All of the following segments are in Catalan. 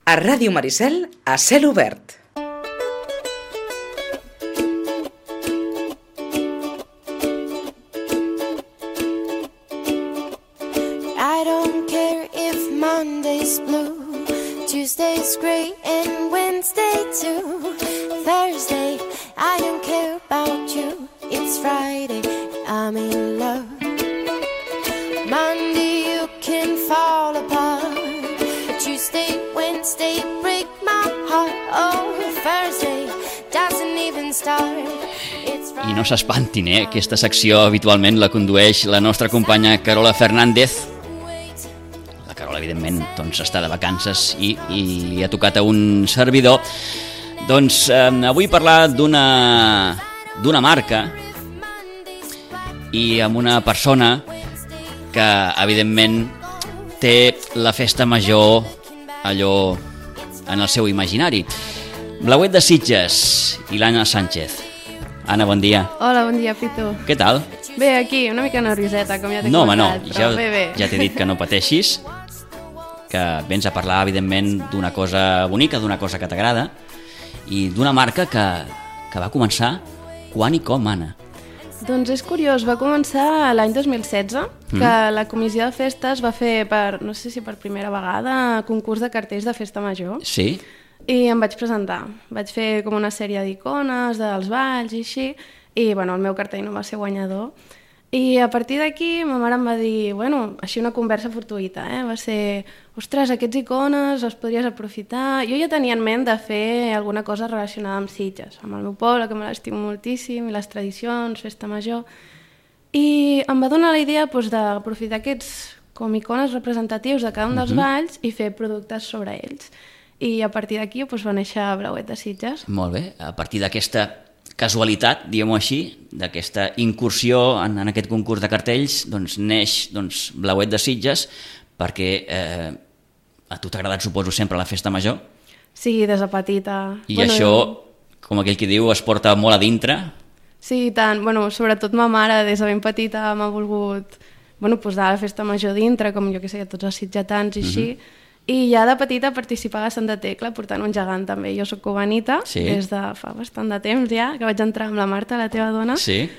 A Ràdio Maricel, a cel obert. I don't care if Monday's blue, Tuesday's gray and Wednesday too. Thursday, I don't care about you. It's Friday, I'm in love. Monday, you can fall apart. Tuesday, Wednesday, break my heart. Oh, Thursday doesn't even start. I no s'espantin, aquesta secció habitualment la condueix la nostra companya Carola Fernández. La Carola, evidentment, doncs, està de vacances i li ha tocat a un servidor. Doncs avui parlar d'una marca i amb una persona que, evidentment, té la festa major allò en el seu imaginari. Blauet de Sitges i l'Anna Sánchez. Anna, bon dia. Hola, bon dia, Pitu. Què tal? Bé, aquí, una mica nervioseta, com ja t'he No, comentat. ja, bé. ja t'he dit que no pateixis, que vens a parlar, evidentment, d'una cosa bonica, d'una cosa que t'agrada, i d'una marca que va començar quan i com, Anna? Doncs és curiós, va començar l'any 2016, que la comissió de festes va fer, no sé si per primera vegada, concurs de cartells de festa major. Sí? I em vaig presentar. Vaig fer com una sèrie d'icones, dels balls i així, i bueno, el meu cartell no va ser guanyador. I a partir d'aquí ma mare em va dir, bueno, així una conversa fortuïta, va ser, ostres, aquests icones els podries aprofitar. Jo ja tenia en ment de fer alguna cosa relacionada amb Sitges, amb el meu poble, que me l'estimo moltíssim, i les tradicions, festa major. I em va donar la idea d'aprofitar aquests com icones representatius de cada un dels balls i fer productes sobre ells. I a partir d'aquí va néixer Blauet de Sitges. Molt bé, a partir d'aquesta casualitat, diguem-ho així, d'aquesta incursió en aquest concurs de cartells, doncs neix Blauet de Sitges, perquè a tu t'ha agradat, suposo, sempre la festa major? Sí, des de petita. I això, com aquell que diu, es porta molt a dintre? Sí, tant. Sobretot ma mare, des de ben petita, m'ha volgut posar la festa major dintre, com jo que sé, tots els sitgetans i així. I ja de petita participava a Santa Tecla, portant un gegant també. Jo soc cubanita, des de fa bastant de temps ja, que vaig entrar amb la Marta, la teva dona. Sí.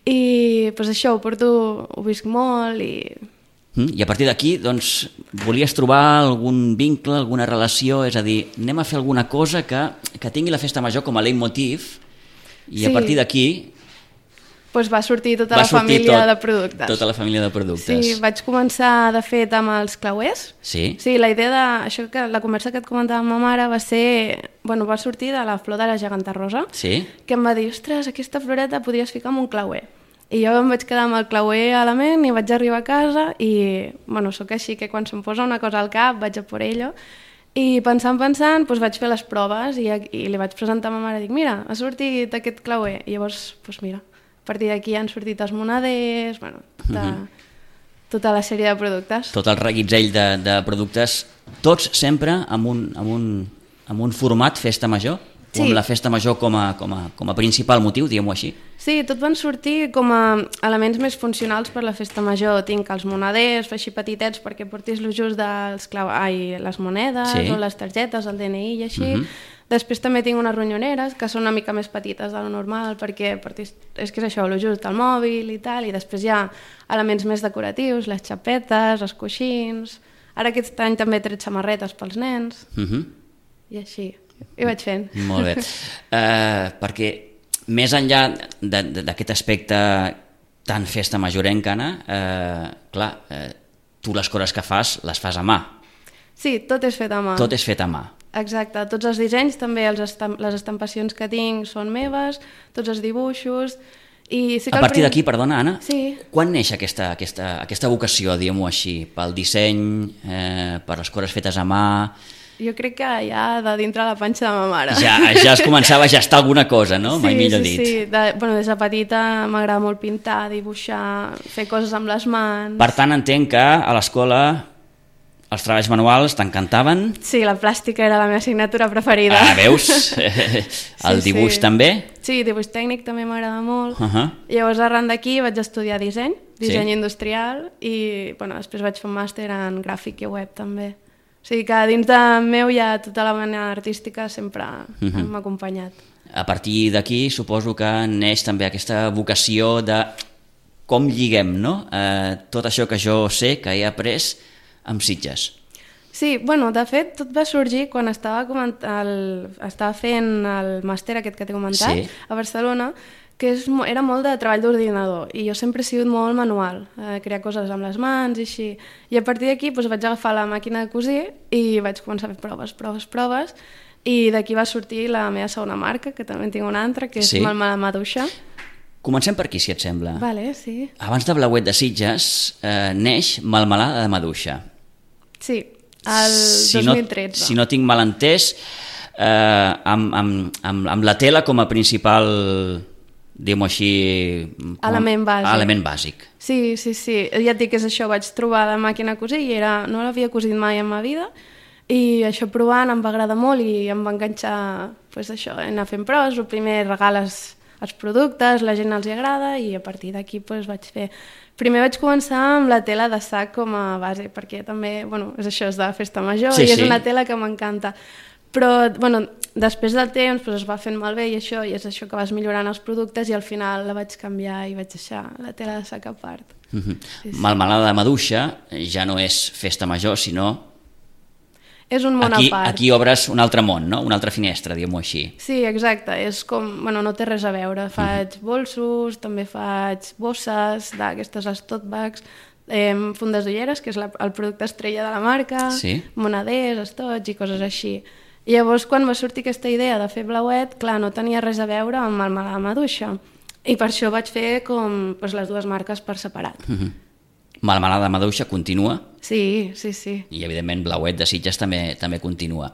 I això, ho visc molt i... I a partir d'aquí, doncs, volies trobar algun vincle, alguna relació, és a dir, anem a fer alguna cosa que tingui la festa major com a leitmotiv i a partir d'aquí... va sortir tota la família de productes. Tota la família de productes. Sí, vaig començar, de fet, amb els clauers. Sí? Sí, la idea això que la conversa que et comentava amb ma mare va ser... va sortir de la flor de la geganta rosa, que em va dir, ostres, aquesta floreta podries ficar amb un clauer. I jo em vaig quedar amb el clauer a la ment i vaig arribar a casa i, sóc així, que quan se'm posa una cosa al cap vaig a por ello. I pensant, vaig fer les proves i li vaig presentar a ma mare, dic, mira, ha sortit aquest clauer. I llavors, mira, a partir d'aquí han sortit els moneders, tota la sèrie de productes. Tot el reguitzell de productes, tots sempre amb un format festa major? O amb la festa major com a principal motiu, diguem-ho així? Sí, tot van sortir com a elements més funcionals per la festa major. Tinc els moneders, fer així petitets perquè portis lo just les monedes o les targetes, el DNI i així. Després també tinc unes ronyoneres que són una mica més petites de lo normal perquè és que és això, lo just, el mòbil i tal, i després hi ha elements més decoratius, les xapetes, els coixins... Ara aquest any també he tret samarretes pels nens i així, i vaig fent. Molt bé, perquè més enllà d'aquest aspecte tan festa majorenca, Anna, clar, tu les coses que fas, les fas a mà. Sí, tot és fet a mà. Tot és fet a mà. Exacte, tots els dissenys, també les estampacions que tinc són meves, tots els dibuixos... A partir d'aquí, perdona, Anna, sí. Quan neix aquesta vocació, diguem-ho així, pel disseny, per les coses fetes a mà... Jo crec que ja de dintre la panxa de ma mare. Ja es començava a gestar alguna cosa, no? Mai millor dit. Sí. Des de petita m'agrada molt pintar, dibuixar, fer coses amb les mans... Per tant, entenc que a l'escola els treballs manuals t'encantaven? Sí, la plàstica era la meva assignatura preferida. Ah, veus? El dibuix també? Sí, dibuix tècnic també m'agrada molt. Llavors, arran d'aquí vaig estudiar disseny industrial i després vaig fer un màster en gràfic i web també. sigui que dins de meu ja tota la vena artística sempre m'ha acompanyat. A partir d'aquí suposo que neix també aquesta vocació de com lliguem, no? Tot això que jo sé, que he après amb Sitges. Sí, bueno, de fet, tot va sorgir quan estava fent el màster aquest que t'he comentat a Barcelona, que era molt de treball d'ordinador i jo sempre he sigut molt manual, crear coses amb les mans i així. I a partir d'aquí vaig agafar la màquina de cosir i vaig començar a fer proves i d'aquí va sortir la meva segona marca, que també en tinc una altra, que és Malmalada Maduixa. Comencem per aquí, si et sembla. Vale, sí. Abans de Blauet de Sitges neix Malmalada de Maduixa. Sí, el 2013. Si no tinc mal entès, amb la tela com a principal, diguem-ho així, element bàsic. Sí. Ja et dic que és això, vaig trobar la màquina a cosir i no l'havia cosit mai en ma vida i això provant em va agradar molt i em va enganxar això, anar fent proves. El primer regales els productes, la gent els hi agrada i a partir d'aquí vaig fer... Primer vaig començar amb la tela de sac com a base, perquè també, és això, és de festa major i és una tela que m'encanta. Però, després del temps es va fent malbé i és això que vas millorant els productes i al final la vaig canviar i vaig deixar la tela de sac a part. Malmalada de Maduixa ja no és festa major, sinó... És un món a part. Aquí obres un altre món, no? Una altra finestra, diguem-ho així. Sí, exacte. És com... no té res a veure. Faig bolsos, també faig bosses, d'aquestes les tote bags, fundes d'ulleres, que és el producte estrella de la marca, moneders, estots i coses així. I llavors, quan va sortir aquesta idea de fer Blauet, clar, no tenia res a veure amb Malmalada Maduixa. I per això vaig fer com les dues marques per separat. Malmalada Maduixa continua. Sí. I, evidentment, Blauet de Sitges també continua.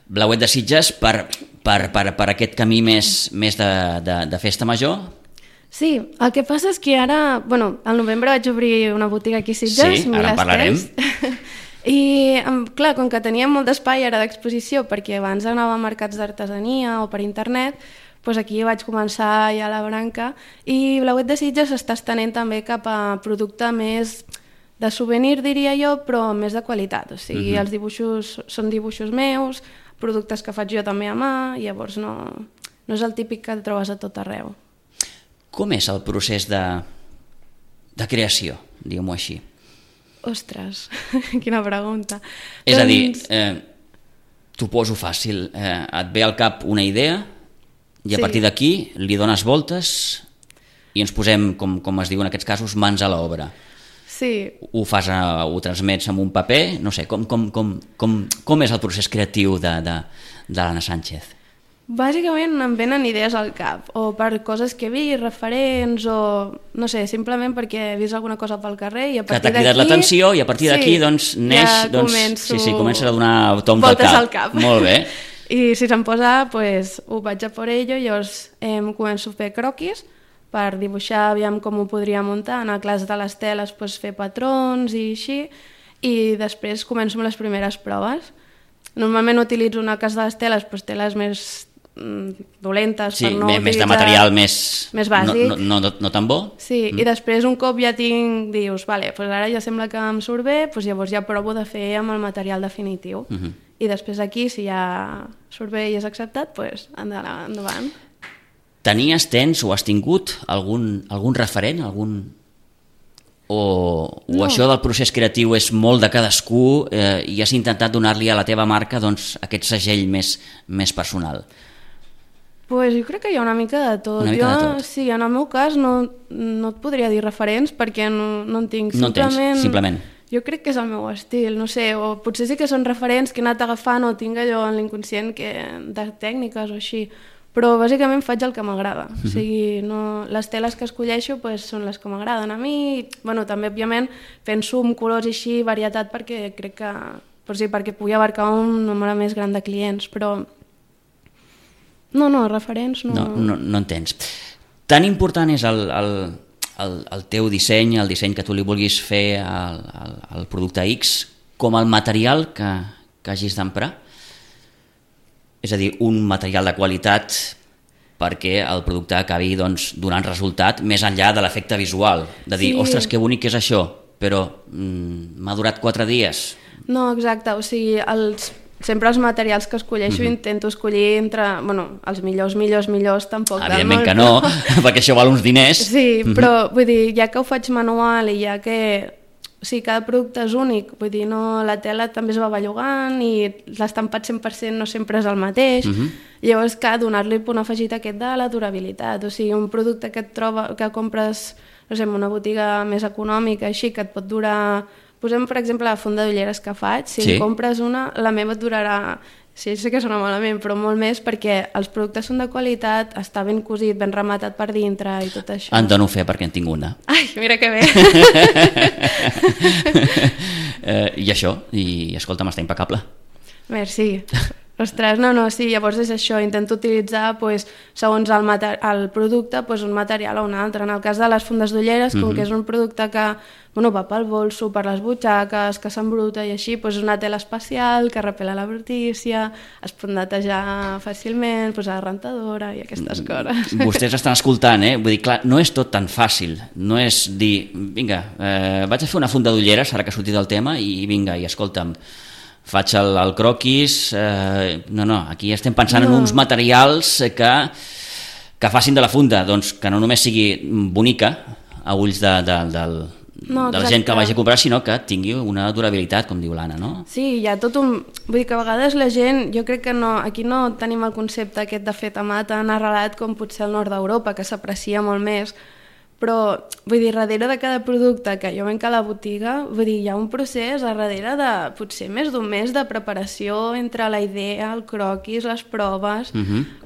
Blauet de Sitges per aquest camí més de festa major? Sí, el que passa és que ara... al novembre vaig obrir una botiga aquí a Sitges. Sí, ara en parlarem. I, clar, com que teníem molt d'espai ara d'exposició, perquè abans anava a mercats d'artesania o per internet, aquí vaig començar ja la branca i Blauet de Sitges s'està estenent també cap a producte més de souvenir, diria jo, però més de qualitat. O sigui, els dibuixos són dibuixos meus, productes que faig jo també a mà, i llavors no és el típic que et trobes a tot arreu. Com és el procés de creació, diguem-ho així? Ostres, quina pregunta. És a dir, t'ho poso fàcil, et ve al cap una idea i a partir d'aquí li dones voltes i ens posem, com es diu en aquests casos, mans a l'obra. Sí. Ho transmets amb un paper, no sé, com és el procés creatiu de l'Anna Sánchez? Bàsicament em venen idees al cap, o per coses que he vist, referents, o no sé, simplement perquè he vist alguna cosa pel carrer i a partir d'aquí... Que t'ha cridat l'atenció i a partir d'aquí neix... comences a donar toms al cap. Molt bé. I si se'm posa, ho vaig a por ello, llavors començo a fer croquis per dibuixar, aviam com ho podria muntar, en el cas de les teles fer patrons i així, i després començo amb les primeres proves. Normalment utilitzo, en el cas de les teles, teles més dolentes, per no utilitzar... més de material més bàsic. No tan bo. Sí, i després un cop ja dius, vale, ara ja sembla que em surt bé, llavors ja provo de fer amb el material definitiu. I després aquí, si ja surt bé i és acceptat, endavant. Tens o has tingut algun referent? O això del procés creatiu és molt de cadascú i has intentat donar-li a la teva marca aquest segell més personal? Jo crec que hi ha una mica de tot. Sí, en el meu cas no et podria dir referents perquè no en tinc. No en tens, simplement. Jo crec que és el meu estil, no sé, o potser sí que són referents que he anat agafant o tinc allò en l'inconscient de tècniques o així, però bàsicament faig el que m'agrada. O sigui, les teles que escolleixo són les que m'agraden a mi, també òbviament penso en colors i així, varietat, perquè crec que perquè pugui abarcar un nombre més gran de clients, però referents no... No en tens. Tan important és el teu disseny, el disseny que tu li vulguis fer al producte X, com el material que hagis d'emprar? És a dir, un material de qualitat perquè el producte acabi donant resultat més enllà de l'efecte visual, de dir, ostres, que bonic és això, però m'ha durat 4 dies, No, exacte, o sigui, sempre els materials que escolleixo intento escollir entre, els millors tampoc del Evidentment món, que no, perquè això val uns diners. Sí, però vull dir, ja que ho faig manual i ja que cada producte és únic, vull dir, no, la tela també es va bellugant i l'estampat 100% no sempre és el mateix, llavors que donar-li punt afegit aquest de la durabilitat, o sigui, un producte que que compres, no sé, en una botiga més econòmica, així, que et pot durar. Posem, per exemple, la funda d'ulleres que faig. Si en compres una, la meva et durarà, sí, sé que sona malament, però molt més, perquè els productes són de qualitat, està ben cosit, ben rematat per dintre i tot això. En dono fe perquè en tinc una. Ai, mira que bé! I això, i escolta'm, està impecable. Merci. Ostres, sí, llavors és això, intento utilitzar, segons el producte, un material o un altre. En el cas de les fundes d'ulleres, com que és un producte que va pel bolso, per les butxaques, que s'embruta i així, és una tela especial que repel·la la brutícia, es pot netejar fàcilment, posar rentadora i aquestes coses. Vostès estan escoltant, vull dir, clar, no és tot tan fàcil, no és dir, vinga, vaig a fer una funda d'ulleres, ara que ha sortit el tema, i vinga, i escolta'm, faig el croquis, no, aquí estem pensant en uns materials que facin de la funda, doncs que no només sigui bonica a ulls de la gent que vagi a comprar, sinó que tingui una durabilitat, com diu l'Anna, no? Sí, hi ha tot un... Vull dir que a vegades la gent, jo crec que aquí no tenim el concepte aquest de fet a mà tan arrelat com potser al nord d'Europa, que s'aprecia molt més, però vull dir, darrere de cada producte que jo venc a la botiga, vull dir, hi ha un procés a darrere de potser més d'un mes de preparació entre la idea, el croquis, les proves,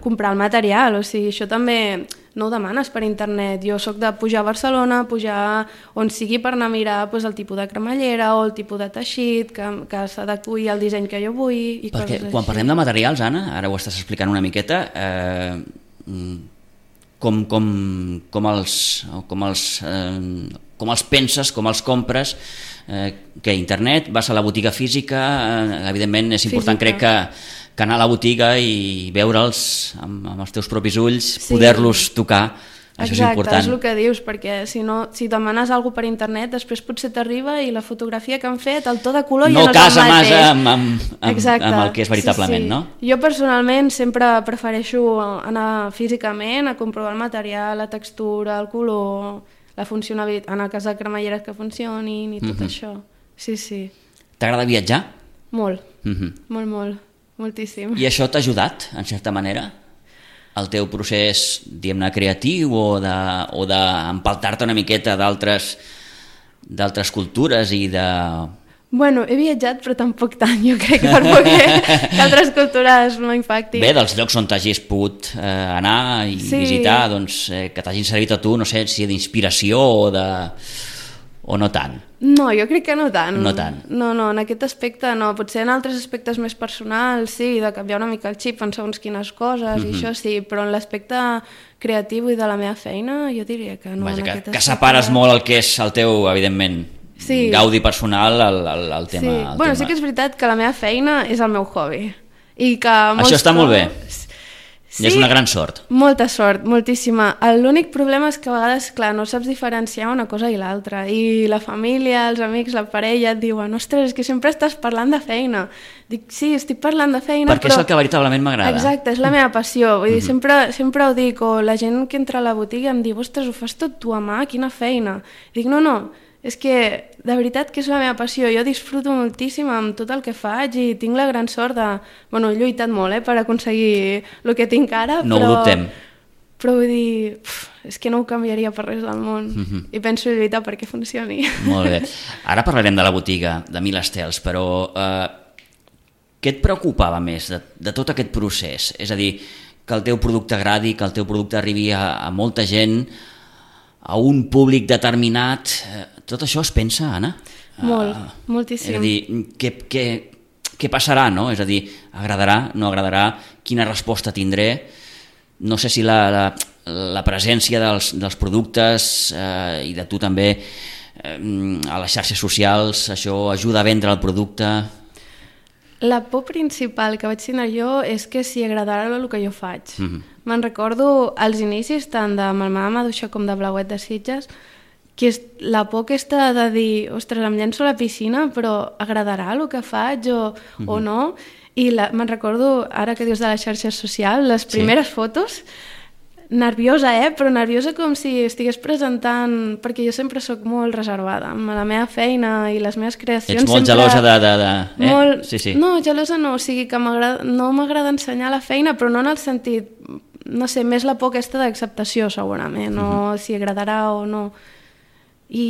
comprar el material, o sigui, això també no ho demanes per internet. Jo soc de pujar a Barcelona, pujar on sigui per anar a mirar el tipus de cremallera o el tipus de teixit que s'adequi al disseny que jo vull i coses així. Perquè quan parlem de materials, Anna, ara ho estàs explicant una miqueta, com els penses, com els compres, que internet, vas a la botiga física, evidentment és important, crec que anar a la botiga i veure'ls amb els teus propis ulls, poder-los tocar, això és important. Exacte, és el que dius, perquè si demanes alguna per internet, després potser t'arriba i la fotografia que han fet, el to de color ja no és el mateix. No casa massa amb el que és veritablement, no? Jo personalment sempre prefereixo anar físicament a comprovar el material, la textura, el color, la funcionalitat, en el cas de cremalleres que funcionin i tot això. Sí. T'agrada viatjar? Molt, molt, moltíssim. I això t'ha ajudat, en certa manera? El teu procés, diguem-ne, creatiu o d'empaltar-te una miqueta d'altres cultures i de... Bueno, he viatjat, però tampoc tant, jo crec, per que altres cultures no impactin. Bé, dels llocs on t'hagis pogut anar i visitar, doncs, que t'hagin servit a tu, no sé, si d'inspiració o no tant. No, jo crec que no tant. No tant. No, en aquest aspecte no. Potser en altres aspectes més personals, sí, de canviar una mica el xip en segons quines coses, i això sí, però en l'aspecte creatiu i de la meva feina, jo diria que no. Vaja, que separes molt el que és el teu, evidentment, gaudi personal al tema. Bueno, sí que és veritat que la meva feina és el meu hobby. Això està molt bé. Sí, és una gran sort. Molta sort, moltíssima. L'únic problema és que a vegades, clar, no saps diferenciar una cosa i l'altra. I la família, els amics, la parella et diuen ostres, és que sempre estàs parlant de feina. Dic, sí, estic parlant de feina, perquè és el que veritablement m'agrada. Exacte, és la meva passió. Vull dir, sempre ho dic, o la gent que entra a la botiga em diu ostres, ho fas tot tu a mà, quina feina. Dic, no, és que de veritat que és la meva passió, jo disfruto moltíssim amb tot el que faig i tinc la gran sort de... Bueno, he lluitat molt per aconseguir el que tinc ara, no ho dubtem. Però vull dir, és que no ho canviaria per res del món i penso lluitar perquè funcioni. Molt bé. Ara parlarem de la botiga, de Mil Estels, però què et preocupava més de tot aquest procés? És a dir, que el teu producte agradi, que el teu producte arribi a molta gent, a un públic determinat... Tot això es pensa, Anna? Molt, moltíssim. És a dir, què passarà, no? És a dir, agradarà, no agradarà, quina resposta tindré? No sé si la presència dels productes i de tu també a les xarxes socials, això ajuda a vendre el producte... La por principal que vaig tenir jo és que si agradarà el que jo faig. Me'n recordo als inicis tant de Malmà Maduixa com de Blauet de Sitges que és la por aquesta de dir, ostres, em llenço a la piscina, però agradarà el que faig o no? I me'n recordo, ara que dius de les xarxes socials, les primeres fotos, nerviosa, però nerviosa com si estigués presentant, perquè jo sempre sóc molt reservada amb la meva feina i les meves creacions. Ets molt gelosa de... Molt... Sí. No, gelosa no, o sigui que no m'agrada ensenyar la feina, però no en el sentit, no sé, més la por aquesta d'acceptació segurament, o si agradarà o no. I...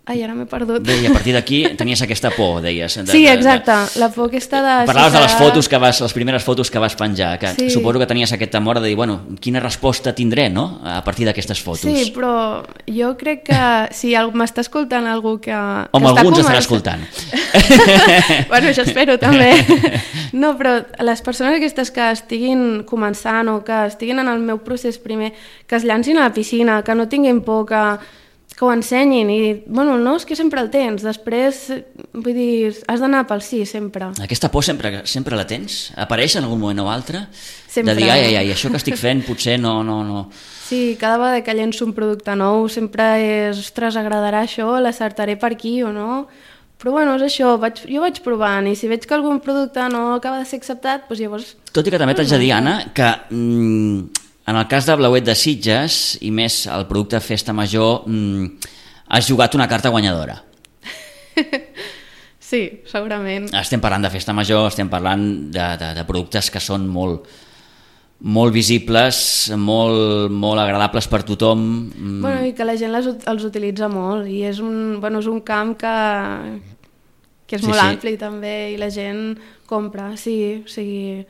Ai, ara m'he perdut. Bé, i a partir d'aquí tenies aquesta por, deies. Sí, exacte, la por aquesta de... Parlaves de les fotos les primeres fotos que vas penjar, que sí. Suposo que tenies aquest temor de dir, bueno, quina resposta tindré, no?, a partir d'aquestes fotos. Sí, però jo crec que si m'està escoltant algú que... Home, algú ens estarà escoltant. Bueno, això espero també. No, però les persones aquestes que estiguin començant o que estiguin en el meu procés primer, que es llancin a la piscina, que no tinguin por, que ho ensenyin i, bueno, no, és que sempre el tens, després, vull dir, has d'anar pel sí, sempre. Aquesta por sempre la tens? Apareix en algun moment o altre? Sempre. De dir, ai, això que estic fent potser no... Sí, cada vegada que llenço un producte nou sempre és, ostres, agradarà això, l'acertaré per aquí o no? Però bueno, és això, jo vaig provant i si veig que algun producte no acaba de ser acceptat, doncs llavors... Tot i que també t'haig de dir, Anna, que... En el cas de Blauet de Sitges, i més el producte Festa Major, has jugat una carta guanyadora. Sí, segurament. Estem parlant de Festa Major, estem parlant de productes que són molt visibles, molt agradables per tothom. Bueno, i que la gent els utilitza molt, i és un camp que és molt ampli també, i la gent compra, sí, o sigui...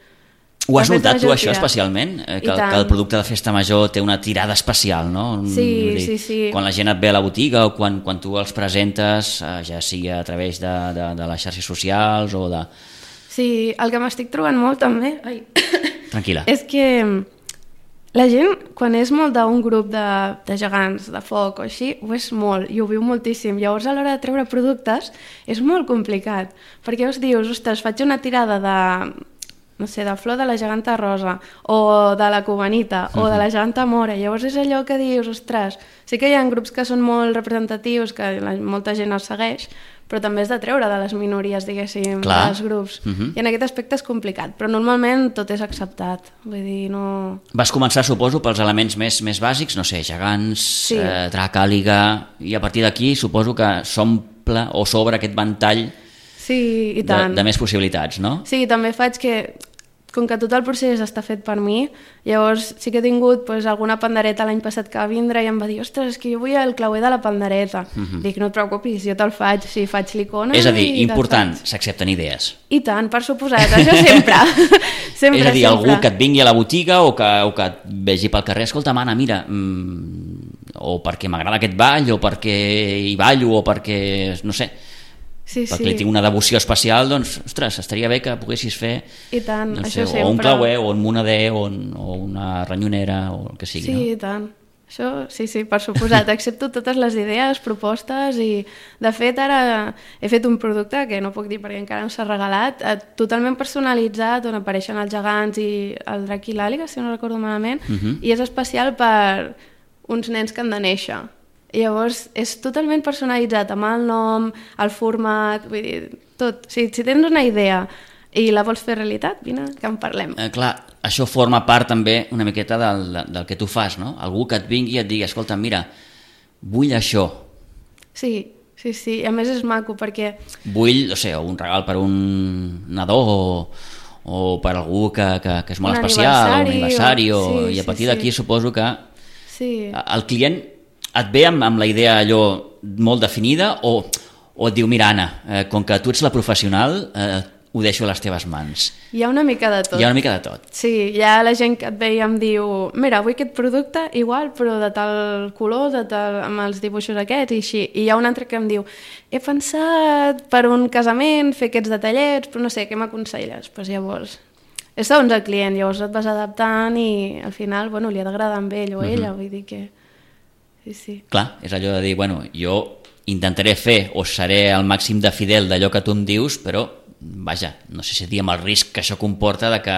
Ho has notat tu, això, especialment? Que el producte de Festa Major té una tirada especial, no? Sí. Quan la gent et ve a la botiga o quan tu els presentes, ja sigui a través de les xarxes socials o de... Sí, el que m'estic trobant molt també... Ai. Tranquil·la. És que la gent, quan és molt d'un grup de gegants, de foc o així, ho és molt, i ho viu moltíssim. Llavors, a l'hora de treure productes, és molt complicat, perquè dius, ostres, faig una tirada de... no sé, de flor de la geganta rosa o de la cubanita o de la geganta mora, llavors és allò que dius, ostres, sí que hi ha grups que són molt representatius, que molta gent els segueix, però també és de treure de les minories, diguéssim, dels grups. I en aquest aspecte és complicat, però normalment tot és acceptat, vull dir, no... Vas començar, suposo, pels elements més bàsics, no sé, gegants, drac, àliga, i a partir d'aquí suposo que s'omple o s'obre aquest ventall i tant. De més possibilitats, no? Sí, també faig que, com que tot el procés està fet per mi, llavors sí que he tingut alguna pandereta l'any passat que va vindre i em va dir, ostres, és que jo vull el clauer de la pandereta. Dic, no et preocupis, jo te'l faig, sí, faig l'icona. És a dir, important, s'accepten idees. I tant, per suposat, això sempre. És a dir, algú que et vingui a la botiga o que et vegi pel carrer, escolta, Anna, mira, o perquè m'agrada aquest ball, o perquè hi ballo, o perquè, no sé... perquè li tinc una devoció especial, doncs, ostres, estaria bé que poguessis fer i tant, no sé, això sempre. O un clauer, o un monader, o una ranyonera, o el que sigui. Sí, no? I tant. Això, sí, per suposat. Accepto totes les idees, propostes, i de fet ara he fet un producte que no puc dir perquè encara no s'ha regalat, totalment personalitzat, on apareixen els gegants i el drac i l'àliga, si no recordo malament, i és especial per uns nens que han de néixer. I llavors és totalment personalitzat amb el nom, el format, vull dir, tot. O sigui, si tens una idea i la vols fer realitat, vine, que en parlem. Clar, això forma part també una miqueta del que tu fas, no? Algú que et vingui i et digui, escolta, mira, vull això. Sí, i a més és maco perquè... Vull, no sé, un regal per un nadó o per algú que és molt especial, un aniversari, i a partir d'aquí suposo que el client et ve amb la idea allò molt definida o et diu, mira, Anna, com que tu ets la professional, ho deixo a les teves mans. Hi ha una mica de tot. Hi ha una mica de tot. Sí, hi ha la gent que et ve i em diu, mira, vull aquest producte igual, però de tal color, amb els dibuixos aquests i així. I hi ha un altre que em diu, he pensat per un casament fer aquests detallets, però no sé, què m'aconselles? Doncs llavors... És segons el client, llavors et vas adaptant i al final, bueno, li ha d'agradar amb ell o ella, vull dir que... Sí. Clar, és allò de dir, bueno, jo intentaré fer o seré al màxim de fidel d'allò que tu em dius, però, vaja, no sé si dir amb el risc que això comporta de que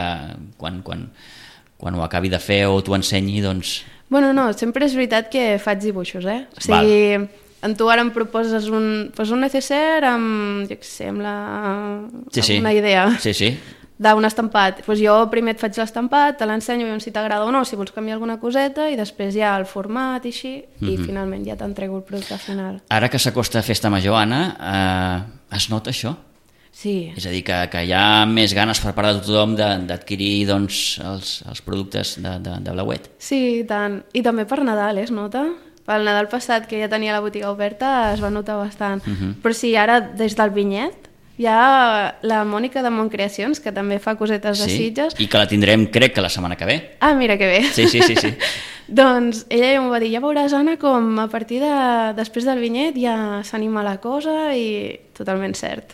quan quan ho acabi de fer o t'ho ensenyi, doncs... Bueno, no, sempre és veritat que faig dibuixos, O sigui, en tu ara em proposes un necessaire amb, jo què sé, amb una idea. Sí. D'un estampat. Jo primer et faig l'estampat, te l'ensenyo, veiem si t'agrada o no, si vols canviar alguna coseta, i després ja el format i així, i finalment ja t'entrego el producte final. Ara que s'acosta Festa Major, Anna, es nota això? Sí. És a dir, que hi ha més ganes per part de tothom d'adquirir doncs, els productes de Blauet. Sí, i tant. I també per Nadal, es nota? Pel Nadal passat, que ja tenia la botiga oberta, es va notar bastant. Però sí, ara, des del vinyet, hi ha la Mònica de Montcreacions, que també fa cosetes de Sitges. I que la tindrem, crec, que la setmana que ve. Ah, mira que bé. Sí. Doncs ella ja m'ho va dir, ja veuràs, Anna, com a partir després del vinyet ja s'anima la cosa, i totalment cert.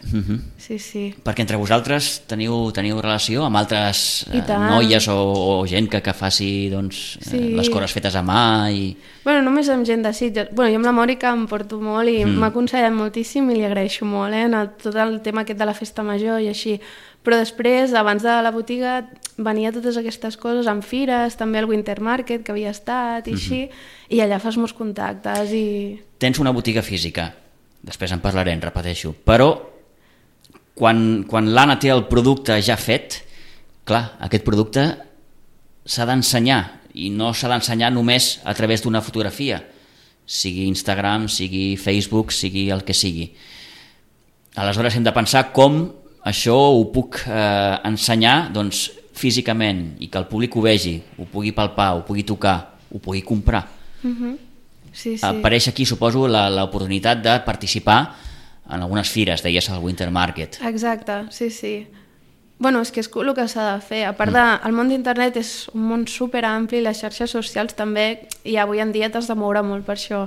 Sí. Perquè entre vosaltres teniu relació amb altres noies o gent que faci doncs, les coses fetes a mà? Bueno, només amb gent de Sitges. Jo amb la Mònica em porto molt i m'ha aconsellat moltíssim i li agraeixo molt, en tot el tema aquest de la festa major i així. Però després, abans de la botiga, venia totes aquestes coses amb fires, també el Winter Market, que havia estat i així, i allà fas molts contactes. Tens una botiga física, després en parlarem, repeteixo, però quan l'Anna té el producte ja fet, clar, aquest producte s'ha d'ensenyar, i no s'ha d'ensenyar només a través d'una fotografia, sigui Instagram, sigui Facebook, sigui el que sigui. Aleshores hem de pensar com això ho puc ensenyar doncs, físicament, i que el públic ho vegi, ho pugui palpar, ho pugui tocar, ho pugui comprar. Sí. Apareix aquí, suposo, l'oportunitat de participar en algunes fires, deies al Winter Market. Exacte, sí. Bueno, és que és el que s'ha de fer. A part el món d'internet és un món superampli, les xarxes socials també, i avui en dia t'has de moure molt per això.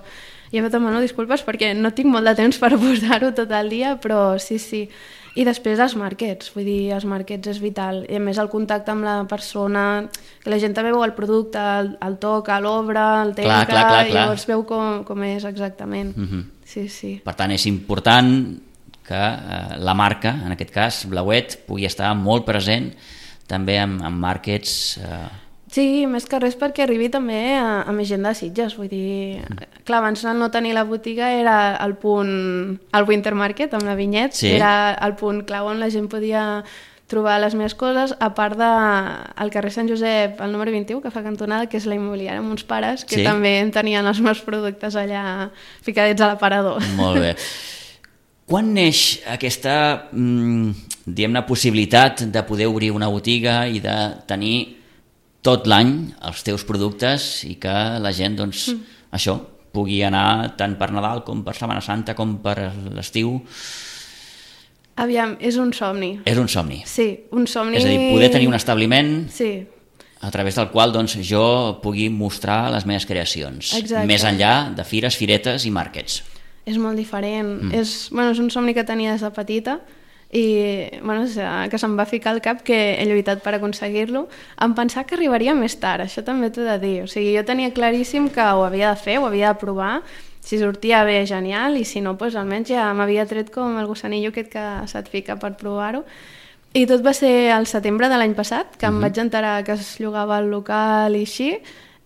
Jo et demano disculpes perquè no tinc molt de temps per posar-ho tot el dia, però sí. I després els markets, vull dir, els markets és vital. I a més el contacte amb la persona, que la gent també veu el producte, el toca, l'obre, el tenca, clar. i llavors veu com és exactament. Sí. Per tant, és important que la marca, en aquest cas, Blauet, pugui estar molt present també en markets... Sí, més que res perquè arribi també a més gent de Sitges, vull dir... Clar, abans no tenir la botiga era el punt... El Winter Market, amb la vinyet, era el punt clau on la gent podia trobar les meves coses, a part del carrer Sant Josep, el número 21, que fa cantonada, que és la immobiliària amb uns pares, que també tenien els meus productes allà ficadets a l'aparador. Molt bé. Quan neix aquesta, diguem-ne, possibilitat de poder obrir una botiga i de tenir tot l'any els teus productes i que la gent, doncs, això, pugui anar tant per Nadal com per Setmana Santa com per l'estiu? Aviam, és un somni. És un somni. Sí, un somni... És a dir, poder tenir un establiment a través del qual doncs, jo pugui mostrar les meves creacions. Exacte. Més enllà de fires, firetes i markets. És molt diferent. És un somni que tenia des de petita, i que se'm va ficar al cap que he lluitat per aconseguir-lo, em pensar que arribaria més tard, això també t'ho he de dir. O sigui, jo tenia claríssim que ho havia de fer, ho havia de provar, si sortia bé, genial, i si no, doncs almenys ja m'havia tret com el gossanillo aquest que se't fica per provar-ho. I tot va ser al setembre de l'any passat, que em vaig enterar que es llogava el local i així,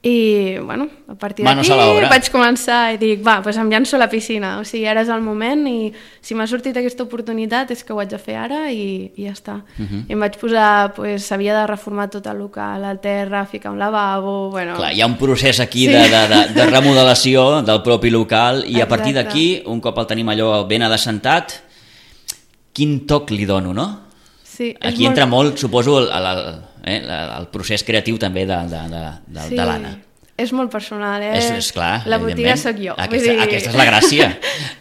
i a partir d'aquí vaig començar i dic, doncs em llanço a la piscina, o sigui, ara és el moment i si m'ha sortit aquesta oportunitat és que ho haig de fer ara i ja està. I em vaig posar, s'havia de reformar tot el local, el terra, ficar un lavabo... Clar, hi ha un procés aquí de remodelació del propi local i a partir d'aquí, un cop el tenim allò ben adassentat, quin toc li dono, no? Sí, aquí entra molt, suposo, el procés creatiu també de l'Anna. És molt personal, És clar, la botiga sóc jo. Aquesta és la gràcia.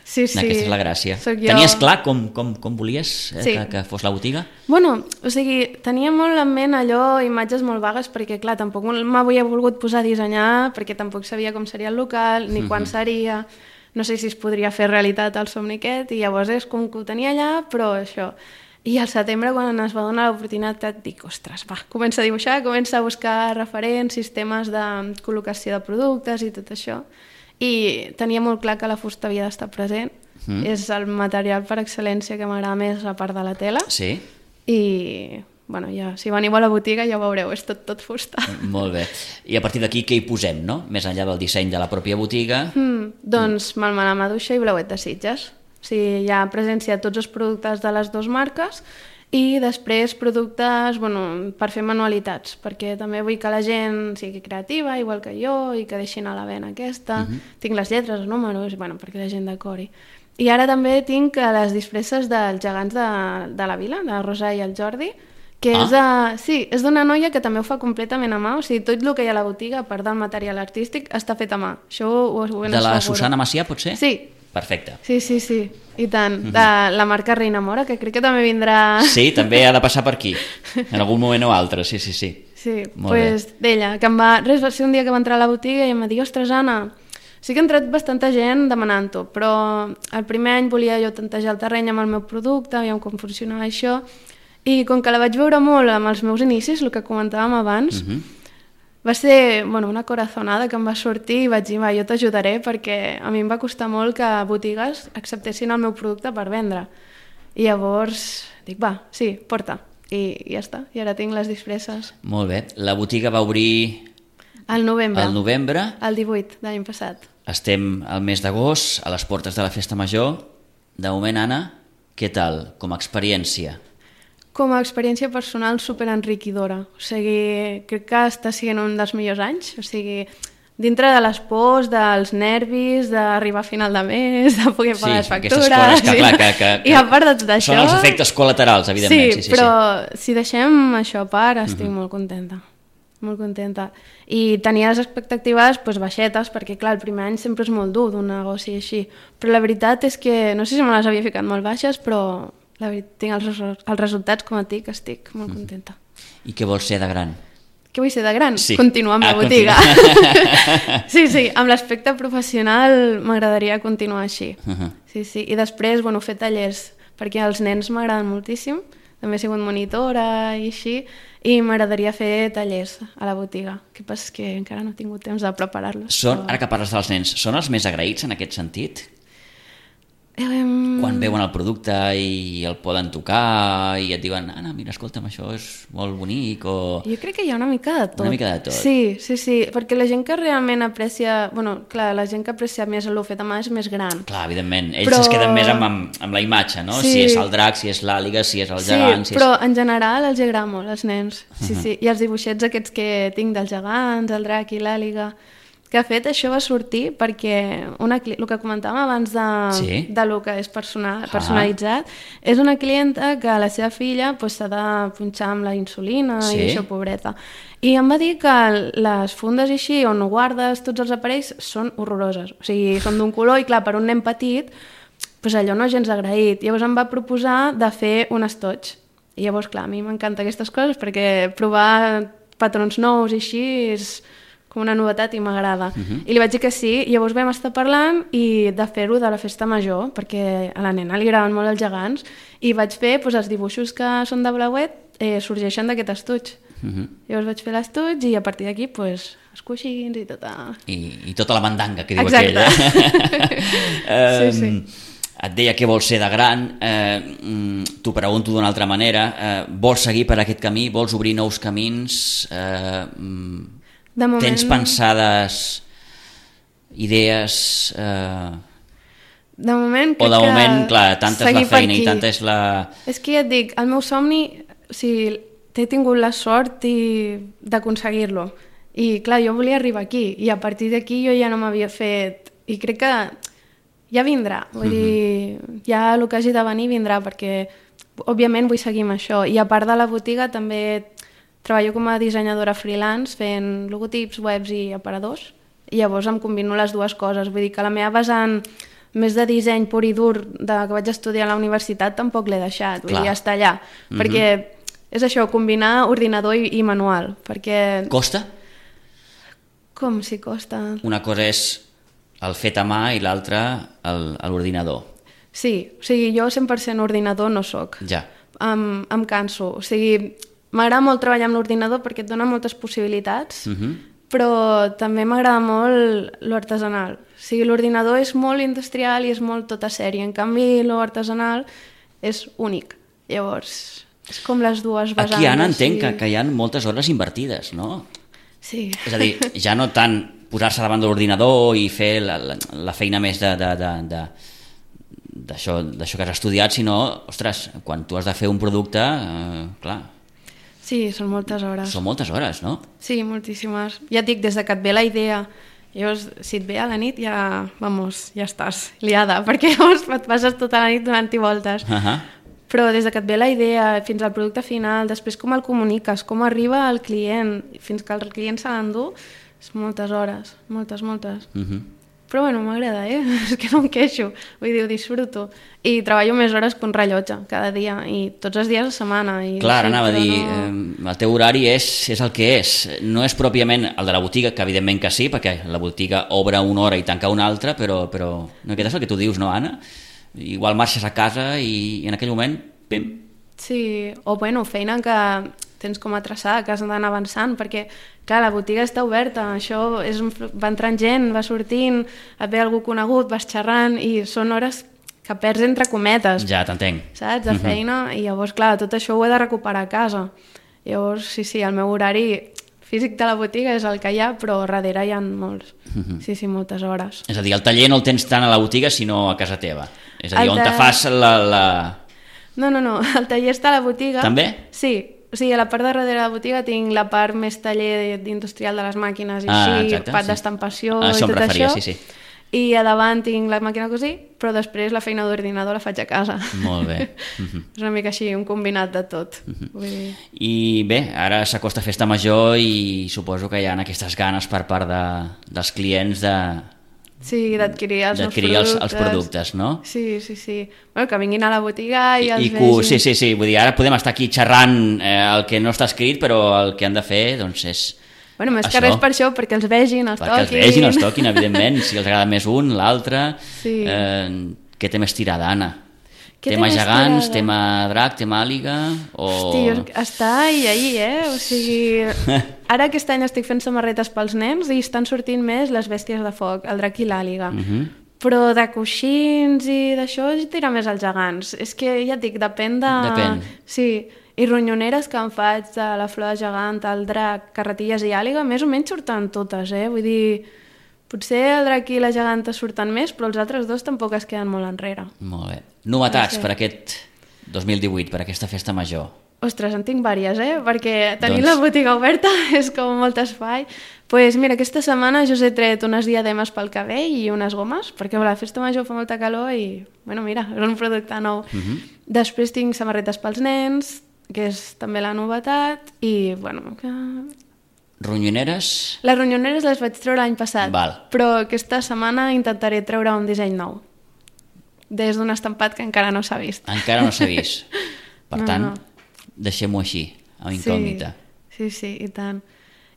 Sí. Aquesta és la gràcia. Tenies clar com volies que fos la botiga? O sigui, tenia molt en ment allò, imatges molt vagues, perquè clar, tampoc m'havia volgut posar a dissenyar, perquè tampoc sabia com seria el local, ni quan seria, no sé si es podria fer realitat el somni aquest, i llavors és com que ho tenia allà, però això... I al setembre, quan es va donar l'oportunitat, dic, ostres, comença a dibuixar, comença a buscar referents, sistemes de col·locació de productes i tot això. I tenia molt clar que la fusta havia d'estar present. És el material per excel·lència que m'agrada més, a part de la tela. Sí. I bueno, ja, si veniu a la botiga ja ho veureu, és tot fusta. Molt bé. I a partir d'aquí què hi posem, no? Més enllà del disseny de la pròpia botiga. Doncs melmenar maduixa i blauet de Sitges. O sigui, hi ha presència de tots els productes de les dues marques i després productes per fer manualitats, perquè també vull que la gent sigui creativa, igual que jo, i que deixin a la vena aquesta. Tinc les lletres, els números, perquè la gent decori. I ara també tinc les disfresses dels gegants de la vila, de Rosa i el Jordi, que és d'una noia que també ho fa completament a mà, o sigui, tot el que hi ha a la botiga, a part del material artístic, està fet a mà. Això ho ben de la asseguro. Susana Macià, potser? Sí. Perfecte. Sí, i tant. De la marca Reina Mora, que crec que també vindrà... Sí, també ha de passar per aquí, en algun moment o altre, sí. Sí, doncs d'ella, que va ser un dia que va entrar a la botiga i em va dir, ostres, Anna, sí que ha entrat bastanta gent demanant-ho, però el primer any volia jo tantejar el terreny amb el meu producte, aviam com funcionava això, i com que la vaig veure molt amb els meus inicis, el que comentàvem abans, va ser una corazonada que em va sortir i vaig dir, jo t'ajudaré, perquè a mi em va costar molt que botigues acceptessin el meu producte per vendre. I llavors dic, sí, porta. I ja està, i ara tinc les disfresses. Molt bé. La botiga va obrir... Al novembre. Al novembre. El 18 de l'any passat. Estem al mes d'agost, a les portes de la Festa Major. De moment, Anna, què tal com a experiència? Com a experiència personal superenriquidora. O sigui, crec que està sent un dels millors anys. O sigui, dintre de les pors, dels nervis, d'arribar a final de mes, de poder pagar les factures... Sí, aquestes coses que I a part de tot això... Són els efectes col·laterals, evidentment. Sí, però si deixem això a part, estic molt contenta. Molt contenta. I tenia les expectatives baixetes, perquè clar, el primer any sempre és molt dur d'un negoci així. Però la veritat és que, no sé si me les havia ficat molt baixes, però la veritat, tinc els resultats com a ti, que estic molt contenta. I què vols ser de gran? Què vull ser de gran? Sí. Continuar amb la botiga. Sí, amb l'aspecte professional m'agradaria continuar així. Sí. I després, fer tallers, perquè els nens m'agraden moltíssim, també he sigut monitora i així, i m'agradaria fer tallers a la botiga. El que passa és que encara no he tingut temps de preparar-los. Ara que parles dels nens, són els més agraïts en aquest sentit? Quan veuen el producte i el poden tocar i et diuen, Anna, mira, escolta'm, això és molt bonic, o... Jo crec que hi ha una mica de tot. Una mica de tot. Sí, perquè la gent que realment aprecia... Clar, la gent que aprecia més el fet a mà és més gran. Clar, evidentment. Ells es queden més amb la imatge, no? Sí. Si és el drac, si és l'àliga, si és el gegant... Sí, però en general els agrada molt, els nens. Sí. I els dibuixets aquests que tinc dels gegants, el drac i l'àliga... Que de fet això va sortir perquè el que comentàvem abans de lo que és personalitzat, és una clienta que la seva filla s'ha de punxar amb la insulina i això, pobreta. I em va dir que les fundes així on guardes tots els aparells són horroroses. O sigui, són d'un color i clar, per un nen petit allò no és gens agraït. Llavors em va proposar de fer un estoig. I llavors, clar, a mi m'encanten aquestes coses perquè provar patrons nous i així és... com una novetat i m'agrada. I li vaig dir que sí, i llavors vam estar parlant i de fer-ho de la festa major, perquè a la nena li agraden molt els gegants, i vaig fer els dibuixos que són de blauet, sorgeixen d'aquest estuig. Llavors vaig fer l'estuig i a partir d'aquí els coixins i tota... I tota la mandanga que diu aquella. Sí. Et deia que vols ser de gran, t'ho pregunto d'una altra manera, vols seguir per aquest camí, vols obrir nous camins... De moment... Tens pensades idees... De moment crec o de moment, clar, tanta és la feina i tanta és la... És que ja et dic, el meu somni, o sigui, he tingut la sort d'aconseguir-lo. I clar, jo volia arribar aquí, i a partir d'aquí jo ja no m'havia fet... I crec que ja vindrà, vull dir, ja el que hagi de venir vindrà, perquè òbviament vull seguir amb això. I a part de la botiga també... Treballo com a dissenyadora freelance fent logotips, webs i aparadors i llavors em combino les dues coses. Vull dir que la meva vessant més de disseny pur i dur que vaig estudiar a la universitat tampoc l'he deixat, vull dir, està allà. Perquè és això, combinar ordinador i manual. Perquè... Costa? Com si costa? Una cosa és el fet a mà i l'altra l'ordinador. Sí, o sigui, jo 100% ordinador no soc. Ja. Em canso, o sigui... M'agrada molt treballar amb l'ordinador perquè et dona moltes possibilitats, però també m'agrada molt l'artesanal. O sigui, l'ordinador és molt industrial i és molt tota sèrie. En canvi, l'artesanal és únic. Llavors, És com les dues vessants. Aquí, Anna, entenc que hi ha moltes hores invertides, no? Sí. És a dir, ja no tant posar-se davant de l'ordinador i fer la feina més d'això que has estudiat, sinó, ostres, quan tu has de fer un producte, clar... Sí, són moltes hores. Són moltes hores, no? Sí, moltíssimes. Ja et dic, des de que et ve la idea, llavors, si et ve a la nit, ja estàs liada, perquè llavors et passes tota la nit donant-hi voltes. Però des de que et ve la idea fins al producte final, després com el comuniques, com arriba al client, fins que el client se l'endú, és moltes hores, moltes. Però bueno, m'agrada, és que no em queixo, vull dir, ho disfruto. I treballo més hores que un rellotge cada dia, i tots els dies a setmana. Clar, anava a dir, el teu horari és el que és, no és pròpiament el de la botiga, que evidentment que sí, perquè la botiga obre una hora i tanca una altra, però no, aquest és el que tu dius, no, Anna? Igual marxes a casa i en aquell moment, pim. Sí, o bueno, feina que tens com a traçar, que has d'anar avançant, perquè, clar, la botiga està oberta, això va entrant gent, va sortint, et ve algú conegut, vas xerrant, i són hores que perds entre cometes. Ja, t'entenc. Saps? De feina, i llavors, clar, tot això ho he de recuperar a casa. Llavors, sí, el meu horari físic de la botiga és el que hi ha, però darrere hi ha molts. Sí, moltes hores. És a dir, el taller no el tens tant a la botiga, sinó a casa teva. És a dir, on te fas la... No, el taller està a la botiga. També? Sí, o sigui, a la part de darrere de la botiga tinc la part més taller industrial de les màquines i així, part d'estampació i tot això. Sí. I a davant tinc la màquina a cosir, però després la feina d'ordinador la faig a casa. Molt bé. És una mica així, un combinat de tot. Vull dir. I bé, ara s'acosta Festa Major i suposo que hi ha aquestes ganes per part dels clients d'adquirir els productes, no? Sí. Bueno, que vinguin a la botiga i els vegin. Sí, vull dir, ara podem estar aquí xerrant el que no està escrit, però el que han de fer, doncs, és... Bueno, més que res per això, perquè els vegin, els toquin. Perquè els vegin, els toquin, evidentment, si els agrada més un, l'altre. Sí. Què té més tirada, Anna? Tema gegants, tema drac, tema àliga? Hosti, està ahí, o sigui... Ara aquest any estic fent samarretes pels nens i estan sortint més les bèsties de foc, el drac i l'àliga. Però de coixins i d'això tira més els gegants. És que ja et dic, depèn de... Depèn. Sí, i ronyoneres que em faig de la flor de gegant, el drac, carretilles i àliga, més o menys surten totes, Vull dir... Potser el drac i la geganta surten més, però els altres dos tampoc es queden molt enrere. Molt bé. Novetats per aquest 2018, per aquesta Festa Major? Ostres, en tinc diverses, perquè tenir la botiga oberta és com molt espai. Doncs mira, aquesta setmana jo us he tret unes diademes pel cabell i unes gomes, perquè a la Festa Major fa molta calor i, bueno, mira, és un producte nou. Després tinc samarretes pels nens, que és també la novetat, i, bueno... Ronyoneres? Les ronyoneres les vaig treure l'any passat, Val. però aquesta setmana intentaré treure un disseny nou, des d'un estampat que encara no s'ha vist. Encara no s'ha vist. Per tant, deixem-ho així, amb incògnita. Sí, i tant.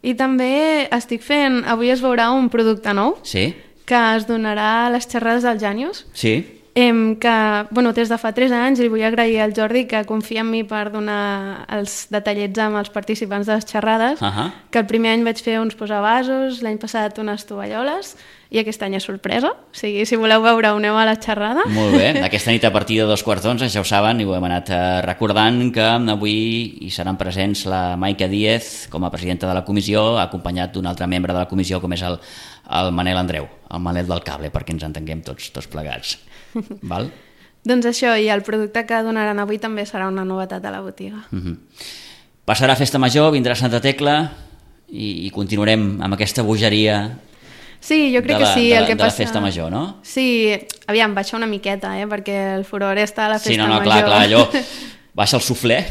I també estic fent, avui es veurà un producte nou, que es donarà a les xerrades del Jànius. Sí. Que, bueno, des de fa 3 anys li vull agrair al Jordi que confia en mi per donar els detallets amb els participants de les xerrades, que el primer any vaig fer uns posavasos, l'any passat unes tovalloles, i aquest any és sorpresa, o sigui, si voleu veure ho aneu a la xerrada. Molt bé, aquesta nit a partir de 11:15, ja ho saben, i ho hem anat recordant, que avui hi seran presents la Maica Díez com a presidenta de la comissió, acompanyat d'un altre membre de la comissió com és el Manel Andreu, el Manel del cable, perquè ens entenguem tots plegats. Val? Doncs això, i el producte que donaran avui també serà una novetat a la botiga. Passarà Festa Major, vindrà Santa Tecla i continuarem amb aquesta bogeria. Sí, jo crec que sí. De la Festa Major, no? Sí, aviam, baixa una miqueta, perquè el furor està a la Festa Major. Sí, clar, allò baixa el suflé,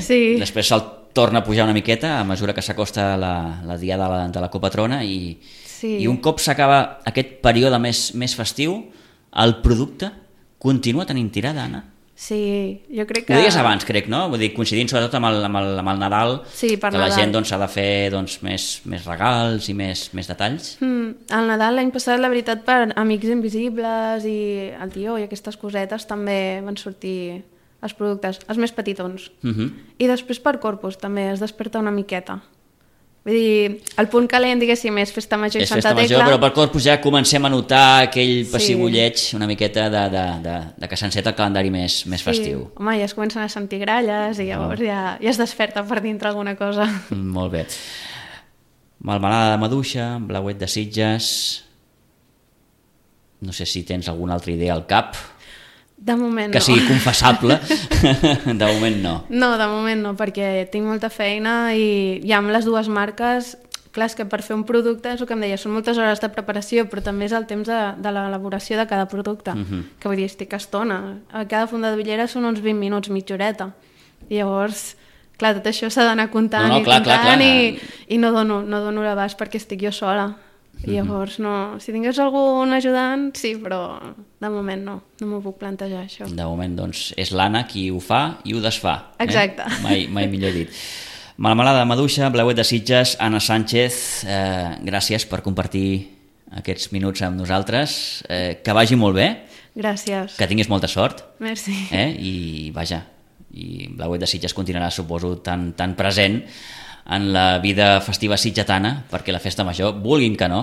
Sí. Després se'l torna a pujar una miqueta a mesura que s'acosta la diada de la copatrona i un cop s'acaba aquest període més festiu, el producte continua tenint tirada, Anna? Sí, jo crec que... Ho deies abans, crec, no? Vull dir, coincidint sobretot amb el Nadal, que la gent s'ha de fer més regals i més detalls. El Nadal l'any passat, la veritat, per Amics Invisibles i el Tió i aquestes cosetes també van sortir els productes, els més petitons. I després per Corpus també es desperta una miqueta. Vull dir, el punt calent, diguéssim, és Festa Major i És Santa Festa Major, Tecla. però per Corpus ja comencem a notar aquell pessigolleig una miqueta de que s'enceta el calendari més festiu. Home, ja es comencen a sentir gralles i llavors ja es desperta per dintre alguna cosa. Molt bé. Melmelada de maduixa, blauet de Sitges... No sé si tens alguna altra idea al cap De moment que no. sigui confessable. De moment no. No, de moment no, perquè tinc molta feina i amb les dues marques, clar, és que per fer un producte, és el que em deia, són moltes hores de preparació, però també és el temps de l'elaboració de cada producte, que vull dir, estic estona. A cada funda de bitllera són uns 20 minuts, mitja horeta. I llavors, clar, tot això s'ha d'anar comptant clar. i no dono l'abast perquè estic jo sola. I llavors, no, si tingués algun ajudant, sí, però de moment no m'ho puc plantejar, això. De moment, doncs, és l'Anna qui ho fa i ho desfà. Exacte. Mai millor dit. Melmelada de maduixa, blauet de Sitges, Anna Sánchez, gràcies per compartir aquests minuts amb nosaltres. Que vagi molt bé. Gràcies. Que tinguis molta sort. Merci. I vaja, i blauet de Sitges continuarà, suposo, tan present en la vida festiva sitgetana, perquè la festa major, vulguin que no,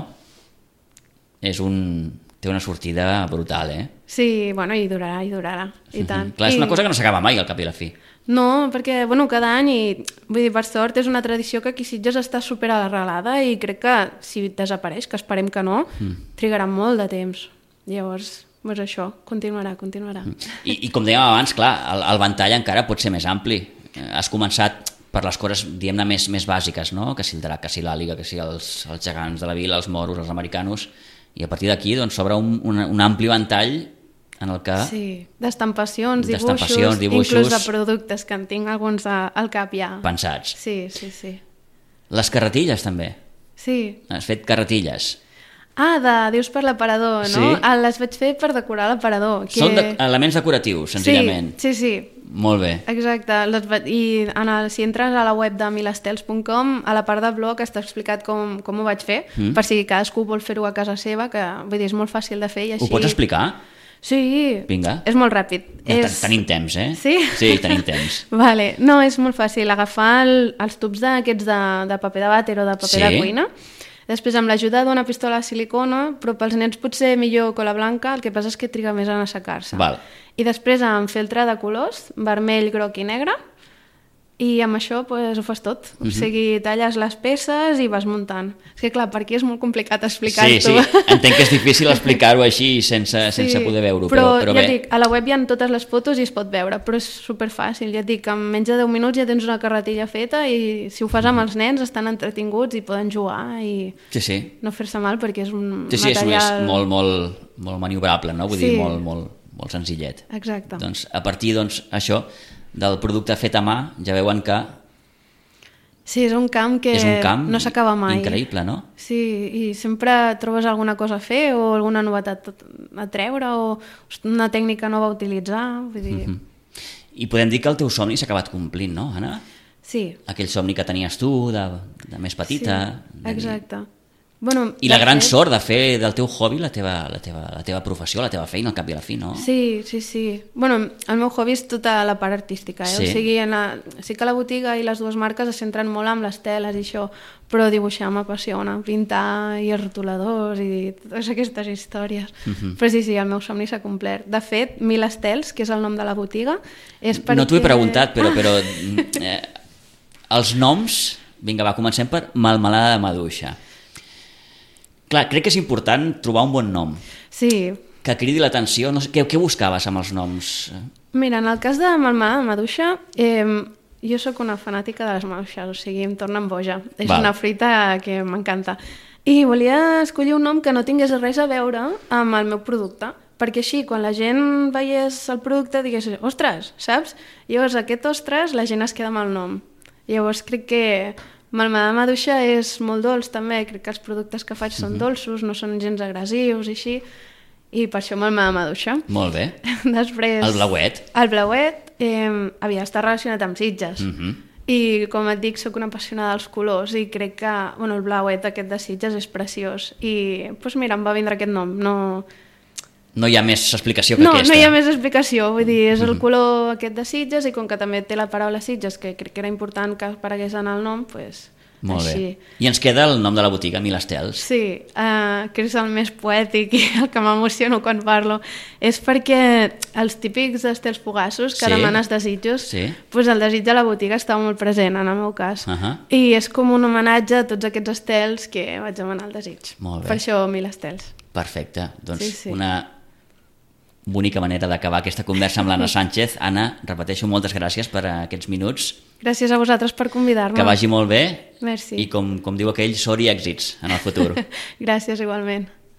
té una sortida brutal, Sí, bueno, i durarà, i tant. Clar, és una cosa que no s'acaba mai, al cap i la fi. No, perquè, bueno, cada any, i vull dir, per sort, és una tradició que aquí a Sitges està superarrelada i crec que si desapareix, que esperem que no, trigarà molt de temps. Llavors, doncs això, continuarà. I com dèiem abans, clar, el ventall encara pot ser més ampli. Has començat per les coses, diguem-ne, més bàsiques, no? Que si el drac, que si l'àliga, que si els gegants de la vila, els moros, els americanos, i a partir d'aquí doncs, s'obre un ampli ventall en el que... Sí, d'estampacions, dibuixos, inclús de productes, que en tinc alguns al cap ja. Pensats. Sí. Les carretilles, també. Sí. Has fet carretilles. Dius per l'aparador, no? Sí. Les vaig fer per decorar l'aparador. Són elements decoratius, senzillament. Sí. Molt bé. Exacte. I si entres a la web de milestels.com, a la part del blog està explicat com ho vaig fer, per si cadascú vol fer-ho a casa seva, que vull dir, és molt fàcil de fer i així... Ho pots explicar? Sí. Vinga. És molt ràpid. Tenim temps, Sí? Sí, tenim temps. Vale. No, és molt fàcil. Agafar els tubs d'aquests de paper de vàter o de paper de cuina. Després, amb l'ajuda d'una pistola de silicona, però pels nens potser millor cola blanca, el que passa és que triga més en assecar-se. Val. I després amb feltre de colors, vermell, groc i negre, i amb això ho fas tot. O sigui, talles les peces i vas muntant. És que clar, per aquí és molt complicat explicar-ho. Sí, entenc que és difícil explicar-ho així sense poder veure-ho, però ja bé. et dic, a la web hi ha totes les fotos i es pot veure, però és superfàcil, ja et dic, en menys de 10 minuts ja tens una carretilla feta i si ho fas amb els nens estan entretinguts i poden jugar i no fer-se mal perquè és un material... És molt maniobrable, no? Vull dir, molt senzillet. Exacte. Doncs a partir això del producte fet a mà, ja veuen que... Sí, és un camp que no s'acaba mai. Increïble, no? Sí, i sempre trobes alguna cosa a fer o alguna novetat a treure o una tècnica nova a utilitzar. Vull dir... I podem dir que el teu somni s'ha acabat complint, no, Anna? Sí. Aquell somni que tenies tu, de més petita. Sí, exacte. Bueno, I la gran sort de fer del teu hobby la teva professió, la teva feina, al cap i a la fi, no? Sí. Bueno, el meu hobby és tota la part artística, Sí. O sigui, sí que la botiga i les dues marques es centren molt amb les teles i això, però dibuixar m'apassiona, pintar i els rotuladors i totes aquestes històries. Però sí, el meu somni s'ha complert. De fet, Milestels, que és el nom de la botiga, és perquè... No t'ho he preguntat, però els noms... Vinga, comencem per Melmelada de maduixa. Clar, crec que és important trobar un bon nom. Sí. Que cridi l'atenció. No sé, què buscaves amb els noms? Mira, en el cas de Melmelada de maduixa, jo sóc una fanàtica de les maduixes, o sigui, em tornen boja. És una fruita que m'encanta. I volia escollir un nom que no tingués res a veure amb el meu producte, perquè així, quan la gent veiés el producte, digués, ostres, saps? Llavors, aquest ostres, la gent es queda amb el nom. Llavors, crec que Melmelada de maduixa és molt dolç també, crec que els productes que faig són dolços, no són gens agressius i així, i per això Melmelada de maduixa. Molt bé. Després... El blauet. El blauet havia d'estar relacionat amb Sitges. I com et dic, sóc una apassionada dels colors i crec que el blauet aquest de Sitges és preciós. I doncs mira, em va vindre aquest nom. No hi ha més explicació que aquesta. No hi ha més explicació, vull dir, és el color aquest de Sitges i com que també té la paraula Sitges, que crec que era important que aparegués en el nom, doncs Molt així. bé. I ens queda el nom de la botiga, Mil Estels. Sí, que és el més poètic i el que m'emociono quan parlo. És perquè els típics estels fugassos que Sí. demanes desitjos, Sí. doncs el desig de la botiga està molt present en el meu cas. I és com un homenatge a tots aquests estels que vaig demanar el desig. Molt bé. Per això 1000 estels. Perfecte. Doncs Sí. una bonica manera d'acabar aquesta conversa amb l'Anna Sánchez. Anna, repeteixo, moltes gràcies per aquests minuts. Gràcies a vosaltres per convidar-me. Que vagi molt bé. Merci. I com diu aquell, sort i èxits en el futur. Gràcies igualment.